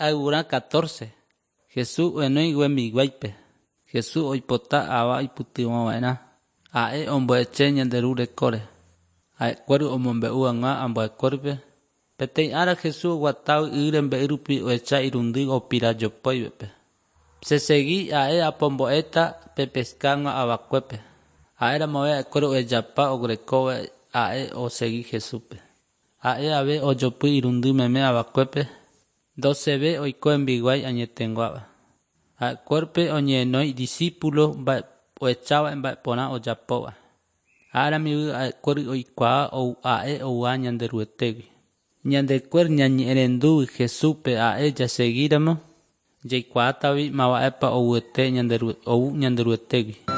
Ayvurã 14. Jesús ohenói hembiguáipe. Jesús oipota ava oipytyvõva'erã. Ha'e ombo'eche ñande Ru rekóre. Ha'ekuéra omombe'u hag̃ua ambuekuérape. Peteĩ ára Jesús oguatávo y rembe'y rupi ohecha irundy opirajopóivape. Chesegi ha'e apombo'éta pepesca hag̃ua avakuépe. Ha'éramove ha'ekuéra ohejapa oguerekóva ha'e osegi Jesúspe. Ha'e ave ojopy irundy meme avakuépe Ndoseve oiko hembiguái añeteguáva. Ha'ekuérape oñehenói discípulo ohecháva mba'eporã ojapóva. Áramive ha'ekuéra oikuaa ha'e ouha Ñanderuetégui. Ñandekuéra ñañe'ẽrendúgui Jesúspe ha'e jasegíramo jaikuaátagui mávapa ouete ou Ñanderuetégui.